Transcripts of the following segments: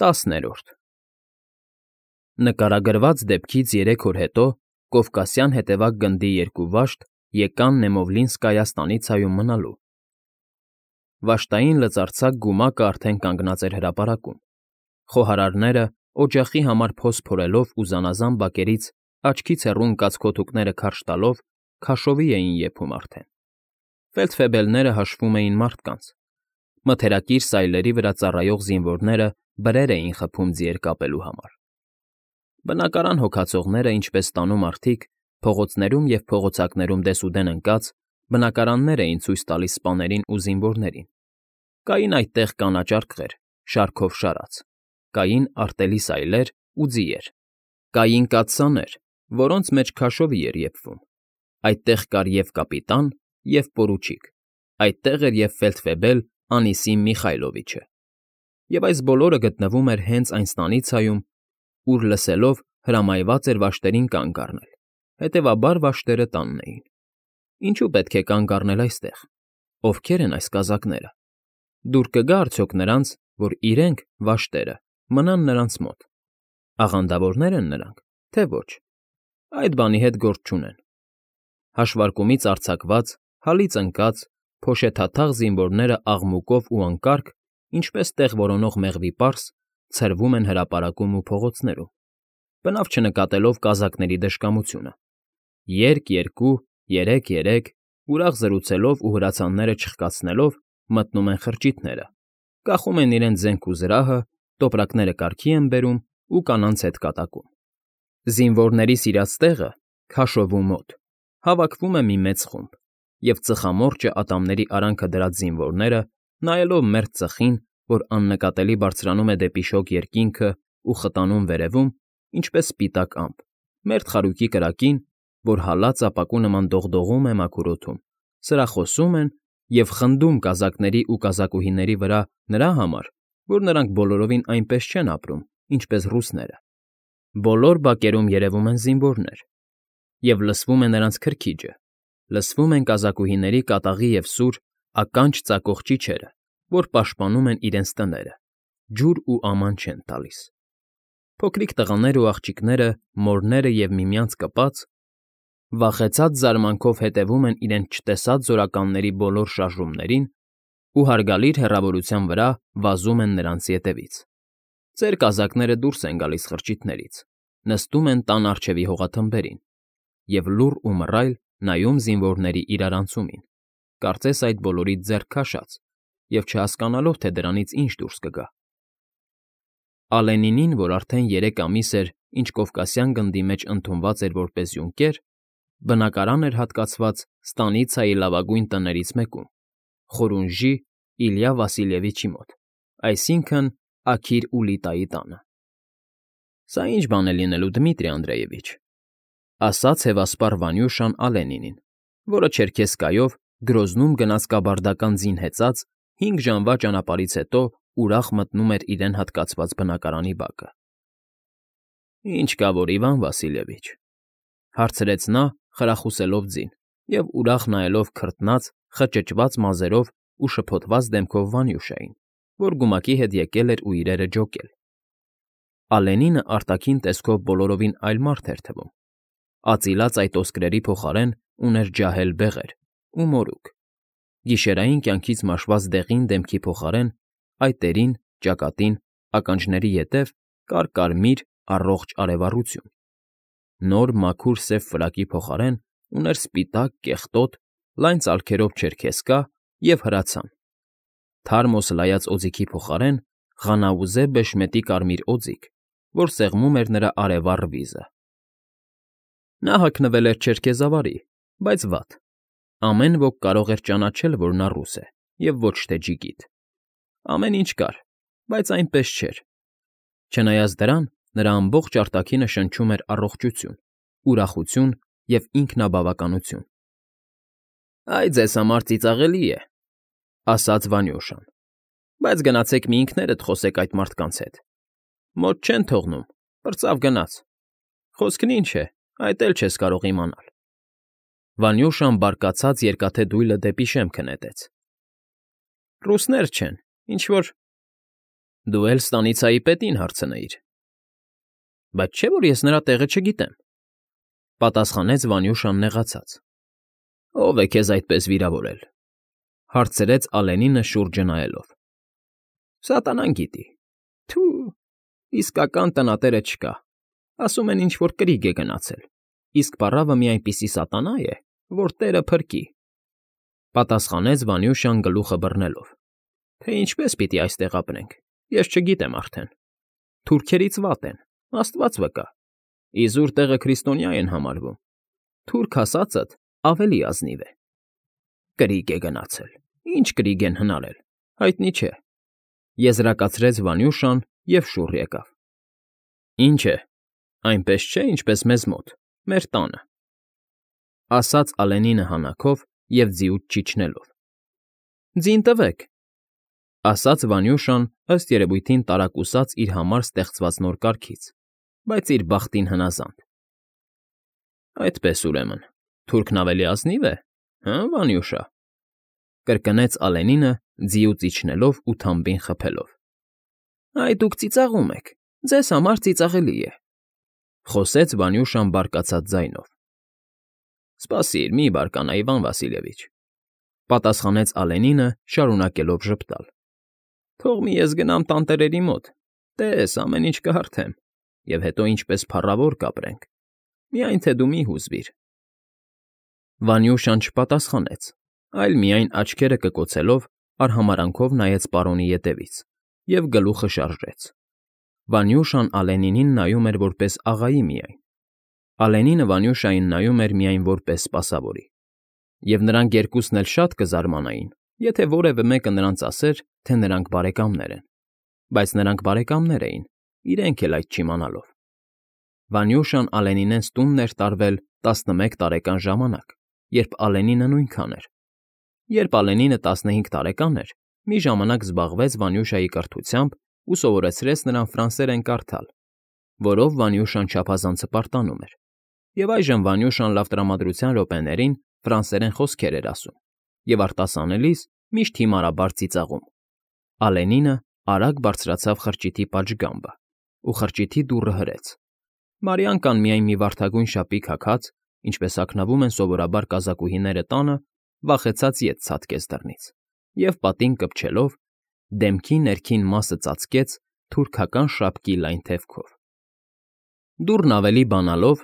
10-րդ Նկարագրված դեպքից 3 օր հետո Կովկասյան հետևակ գնդի 2 վաշտ եկան Նեմովլինսկայա ստանիցայում մնալու։ Վաշտային լծարձակ գումակը արդեն կանգնած էր հրապարակում։ Խոհարարները, օջախի համար փոս փորելով ու զանազան բակերից աչքից հեռու ընկած քոթուկները քարշ տալով, քաշովի էին եփում արդեն։ Ֆելդֆեբելները հաշվում էին մարդկանց։ Մթերակիր սայլերի վրա ծառայող զինվորները բրեր էին խփում ձիեր կապելու համար։ Բնակարան հոգացողները, ինչպես տանում մարդիկ, փողոցներում և փողոցակներում դեսուդեն ընկած, բնակարաններ էին ցույց տալիս սպաներին ու զինվորներին։ Կային այդտեղ կանաչ արկղեր, շարքով շարած, կային արտելի սայլեր ու ձիեր, կային կաթսաներ, որոնց մեջ քաշովի էր եփվում։ Այդտեղ կար և կապիտան, և պորուչիկ, այդտեղ էր և ֆելդֆեբել Անիսիմ Միխայլովիչը։ Եվ այս բոլորը գտնվում էր հենց այն ստանիցայում, ուր, լսելով, հրամայված էր վաշտերին կանգ առնել, հետևաբար վաշտերը տանն էին։ Ինչու պետք է կանգ առնել այստեղ։ Ովքեր են այս կազակները։ Դուր կգա՞ արդյոք նրանց, որ իրենք, վաշտերը, մնան նրանց մոտ։ Աղանդավորնե՞ր են նրանք, թե ոչ։ Այդ բանի հետ գործ չունեն։ Հաշվարկումից արձակված, հալից ընկած, փոշեթաթաղ զինվորները աղմուկով ու անկարգ, ինչպես տեղ որոնող մեղվի պարս, ցրվում են հրապարակում ու փողոցներում, բնավ չնկատելով կազակների դժկամությունը։ Երկ-երկու, երեք-երեք, ուրախ զրուցելով ու հրացանները չխկացնելով, մտնում են խրճիթները, կախում են իրենց զենք ու զրահը, տոպրակները կարգի են բերում ու կանանց հետ կատակում։ Զինվորների սիրած տեղը, քաշովու մոտ, հավաքվում է մի մեծ խումբ, և ծխամորճը ատամների արանքը դրած զինվորները, նայելով մերթ ծխին, որ աննկատելի բարձրանում է դեպի շոգ երկինքը ու խտանում վերևում, ինչպես սպիտակ ամպ, մերթ խարույկի կրակին, որ հալած ապակու նման դողդողում է մաքուր օդում, սրախոսում են և խնդում կազակների ու կազակուհիների վրա նրա համար, որ նրանք բոլորովին այնպես չեն ապրում, ինչպես ռուսները։ Բոլոր բակերում երևում են զինվորներ, և լսվում է նրանց քրքիջը, լսվում են կազակուհիների կատաղի և սուր, ականջ ծակող ճիչերը, որ պաշտպանում են իրենց տները, ջուր ու աման չեն տալիս։ Փոքրիկ տղաները ու աղջիկները, մորները և միմյանց կպած, վախեցած զարմանքով հետևում են իրենց չտեսած զորականների բոլոր շարժումներին ու հարգալիր հեռավորության վրա վազում են նրանց ետևից։ Ծեր կազակները դուրս են գալիս խրճիթներից, նստում են տան առջևի հողաթմբերին և լուռ ու մռայլ նայում զինվորների իրարանցումին, կարծես այդ բոլորից ձեռք քաշած և չհասկանալով, թե դրանից ինչ դուրս կգա։ Ալենինին, որ արդեն 3 ամիս էր, ինչ Կովկասյան գնդի մեջ ընդունված էր որպես յունկեր, բնակարան էր հատկացված ստանիցայի լավագույն տներից մեկում, Խորունժի Իլյա Վասիլևիչի մոտ, այսինքն՝ Աքիր Ուլիտայի տանը։ Սա ի՞նչ բան է լինելու, Դմիտրի Անդրեյևիչ, ասաց հևասպառ Վանյուշան Ալենինին, որը չերքեզկայով Գրոզնում գնաց կաբարդական ձին հեծած 5 ժամվա ճանապարհից հետո ուրախ մտնում էր իրեն հատկացված բնակարանի բակը։ Ինչ կա որ, Իվան Վասիլևիչ,֊ հարցրեց նա, խրախուսելով ձին և ուրախ նայելով քրտնած, խճճված մազերով ու շփոթված դեմքով Վանյուշային, որ գումակի հետ եկել էր ու իրերը ջոկել։ Ալենինը արտաքին տեսքով բոլորովին այլ մարդ էր թվում։ Ածիլած այդ ոսկրերի փոխարեն ուներ ջահել բեղեր ու մորուք։ Գիշերային կյանքից մաշված դեղին դեմքի փոխարեն այտերին, ճակատին, ականջների ետև կար կարմիր, առողջ արևառություն։ Նոր մաքուր սև ֆրակի փոխարեն ուներ սպիտակ, կեղտոտ, լայն ծալքերով չերքեզկա և հրացան։ Թարմ օսլայած օձիքի փոխարեն ղանաուզե բեշմետի կարմիր օձիք, որ սեղմում էր նրա արևառ վիզը։ Նա հագնվել էր չերքեզավարի, բայց վատ։ Ամեն ոք կարող էր ճանաչել, որ նա ռուս է, և ոչ թե ջիգիտ։ Ամեն ինչ կար, բայց այնպես չէր։ Չնայած դրան, նրա ամբողջ արտաքինը շնչում էր առողջություն, ուրախություն և ինքնաբավականություն։ «Այ ձեզ համար ծիծաղելի է,֊ ասաց Վանյուշան,֊ բայց գնացեք մի ինքներդ խոսեք այդ մարդկանց հետ։ Մոտ չեն թողնում, պրծավ գնաց։ Խոսքն ինչ է, այդ էլ չես կարող իմանալ»։ Վանյուշան բարկացած երկաթե դույլը դեպի շեմքը նետեց։ «Ռուսներ չեն, ինչ֊որ… Դու էլ ստանիցայի պետին հարցնեիր։ Բայց չէ՞ որ ես նրա տեղը չգիտեմ,֊ պատասխանեց Վանյուշան նեղացած։ Ո՞վ է քեզ այդպես վիրավորել,֊ հարցրեց Ալենինը շուրջը նայելով։ Սատանան գիտի։ Թու, իսկական տնատերը չկա, ասում են ինչ֊որ կրիգ է գնացել, իսկ պառավը մի այնպիսի սատանա է, որ տերը փրկի,֊ պատասխանեց Վանյուշան գլուխը բռնելով։ Թե ինչպես պիտի այստեղ ապրենք, ես չգիտեմ արդեն։ Թուրքերից վատ են, Աստված վկա, իզուր տեղը քրիստոնյա են համարվում, թուրք ասածդ ավելի ազնիվ է։ Կրիգ է գնացել, ինչ կրիգ են հնարել, հայտնի չէ,֊ եզրակացրեց Վանյուշան և շուռ եկավ։ Ինչ է, այնպես չէ, ինչպես մեզ մոտ, մեր տանը,֊ ասաց Ալենինը հանաքով և ձիուց չիջնելով։ Ձին տվեք,֊ ասաց Վանյուշան ըստ երևույթին տարակուսած իր համար ստեղծված նոր կարգից, բայց իր բախտին հնազանդ։ Այդպես ուրեմն, թուրքն ավելի ազնիվ է, հը՞, Վանյուշա,֊ կրկնեց Ալենինը ձիուց իջնելով ու թամբին խփելով։ Այ դուք ծիծաղում եք, ձեզ համար ծիծաղելի է,֊ խոսեց Վանյուշան բարկացած ձայնով։ Սպասիր, մի բարկանա, Իվան Վասիլևիչ,֊ պատասխանեց Ալենինը, շարունակելով ժպտալ։ Թող մի ես գնամ տանտերերի մոտ, տես, ամեն ինչ կհարթեմ, և հետո ինչպես փառավոր կապրենք, միայն թե դու մի հուզվիր։ Վանյուշան չպատասխանեց, այլ միայն աչքերը կկոցելով արհամարանքով նայեց պարոնի ետևից և գլուխը շարժեց։ Վանյուշան Ալենինին նայում էր որպես աղայի միայն, Ալենինը Վանյուշային նայում էր միայն որպես սպասավորի, և նրանք երկուսն էլ շատ կզարմանային, եթե որևէ մեկը նրանց ասեր, թե նրանք բարեկամներ են, բայց նրանք բարեկամներ էին, իրենք էլ այդ չիմանալով։ Վանյուշան Ալենինենց տունն էր տարվել 11 տարեկան ժամանակ, երբ Ալենինը նույնքան էր։ Երբ Ալենինը 15 տարեկան էր, մի ժամանակ զբաղվեց Վանյուշայի կրթությամբ ու սովորեցրեց նրան ֆրանսերեն կարդալ, որով Վանյուշան չափազանց հպարտանում էր, և այժմ Վանյուշան լավ տրամադրության րոպեներին ֆրանսերեն խոսքեր էր ասում և արտասանելիս միշտ հիմարաբար ծիծաղում։ Ալենինը արագ բարձրացավ խրճիթի պատշգամբը ու խրճիթի դուռը հրեց։ Մարիանկան միայն մի վարդագույն շապիկ հագած, ինչպես հագնվում են սովորաբար կազակուհիները տանը, վախեցած ետ ցատկեց դռնից և պատին կպչելով, դեմքի ներքին մասը ծածկեց թուրքական շապկի լայն թևքով։ Դուռն ավելի բանալով,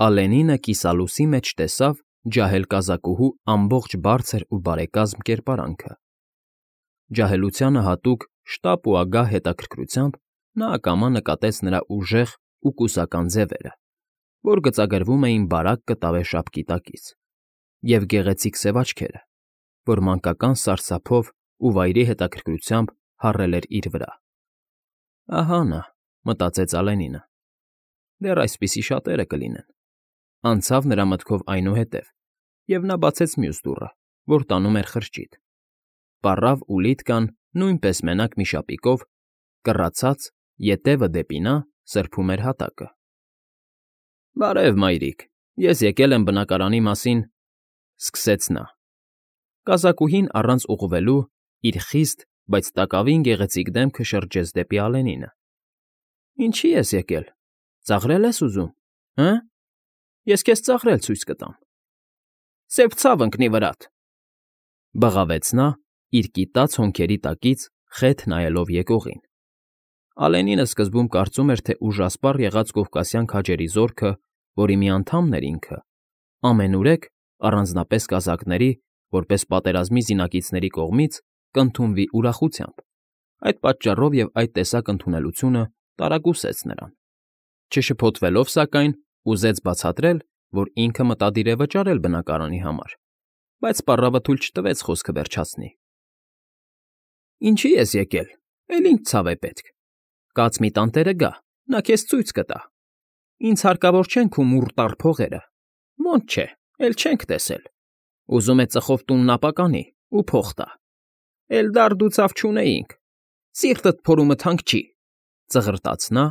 Ալենինը կիսալուսի մեջ տեսավ ջահել կազակուհու ամբողջ բարձր ու բարեկազմ կերպարանքը։ Ջահելությանը հատուկ շտապ ու ագահ հետաքրքրությամբ նա ակամա նկատեց նրա ուժեղ ու կուսական ձևերը, որ գծագրվում էին բարակ կտավե շապկի տակից, և գեղեցիկ սև աչքերը, որ մանկական սարսափով ու վայրի հետաքրքրությամբ հառել էր իր վրա։ Ահա նա, մտածեց Ալենինը, դեռ այսպիսի շատերը կլինեն։ Անցավ նրա մտքով այնուհետև, և նա բացեց մյուս դուռը, որ տանում էր խրճիթ։ Պառավ ու լիտկան նույնպես մենակ մի շապիկով, կռացած, ետևը դեպի նա սրբում էր հատակը։ Բարև, մայրիկ, ես եկել եմ բնակարանի մասին,֊ սկսեց նա։ Կազակուհին առանց ուղղվելու իր խիստ, բայց տակավին գեղեցիկ դեմքը շրջեց դեպի Ալենինը։ Ինչի՞ ես եկել, ծաղրել ես ուզում, հը՞։ Ես քեզ ծաղրել ցույց կտամ։ Սև ցավ ընկնի վրադ,֊ բղավեց նա, իր կիտած հոնքերի տակից խեթ նայելով եկողին։ Ալենինը սկզբում կարծում էր, թե ուժասպառ եղած կովկասյան քաջերի զորքը, որի մի անդամն էր ինքը, ամենուրեք, առանձնապես կազակների, որպես պատերազմի զինակիցների կողմից կընդունվի ուրախությամբ։ Այդ պատճառով և այդ տեսակ ընդունելությունը տարակուսեց նրան։ Չշփոթվելով, սակայն, ուզեց բացատրել, որ ինքը մտադիր է վճարել բնակարանի համար, բայց պառավը թույլ չտվեց խոսքը վերջացնի։ Ինչի՞ ես եկել, էլ ինչ ցավ է պետք։ Կաց մի տանտերը գա, նա քեզ ցույց կտա։ Ինձ հարկավոր չեն քո մուրտառ փողերը, ոնց չէ, էլ չենք տեսել։ Ուզում է ծխով տունն ապականի ու փող տա։ Էլդար դու ցավ չունեինք, սիրտդ փորումդ հանգչի,֊ ծղրտաց նա,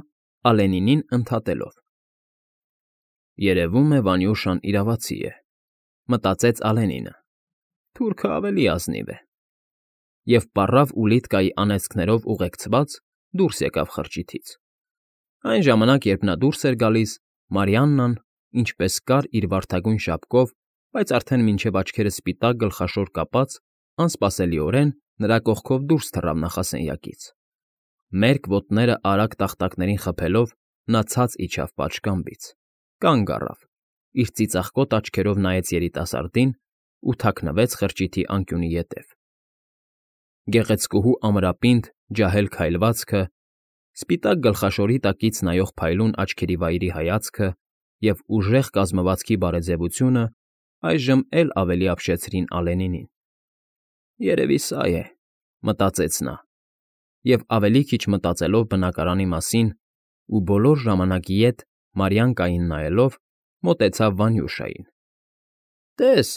Ալենինին ընդհատելով։ Երևում է Վանյուշան իրավացի է, մտածեց Ալենինը։ Թուրքը ավելի ազնիվ է։ Եվ պառավ ու լիտկայի անեծքներով ուղեկցված դուրս եկավ խրճիթից։ Այն ժամանակ, երբ նա դուրս էր գալիս, Մարիաննան, ինչպես կար իր վարդագույն շապկով, բայց արդեն մինչև աչքերը սպիտակ գլխաշոր կապած, անսպասելիորեն նրա կողքով դուրս թռավ նախասենյակից։ Մերկ ոտները արագ տախտակներին խփելով, նա ցած իջավ պատշգամբից, կանգ առավ, իր ծիծաղկոտ աչքերով նայեց երիտասարդին ու թաքնվեց խրճիթի անկյունի ետև։ Գեղեցկուհու ամրապինդ, ջահել քայլվածքը, սպիտակ գլխաշորի տակից նայող փայլուն աչքերի վայրի հայացքը և ուժեղ կազմվածքի բարեձևությունը այժմ էլ ավելի ապշեցրին Ալենինին։ «Երևի սա է», մտածեց նա, և ավելի քիչ մտածելով բնակարանի մասին ու բոլոր ժամանակ ետ Մարիանկային նայելով, մոտեցավ Վանյուշային։ «Տես,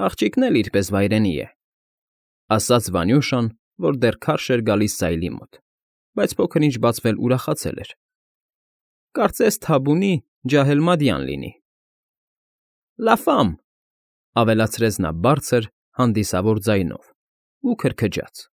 աղջիկն էլ իր պես վայրենի է», ասաց Վանյուշան, որ դեռ քարշ էր գալիս սայլի մոտ, բայց փոքր֊ինչ բացվել ուրախացել էր։ «Կարծես թաբունի ջահել֊մադյան լինի»։ «Լաֆամ», ավելացրեց նա բարձր, հանդիսավոր ձայնով ու քրքջաց։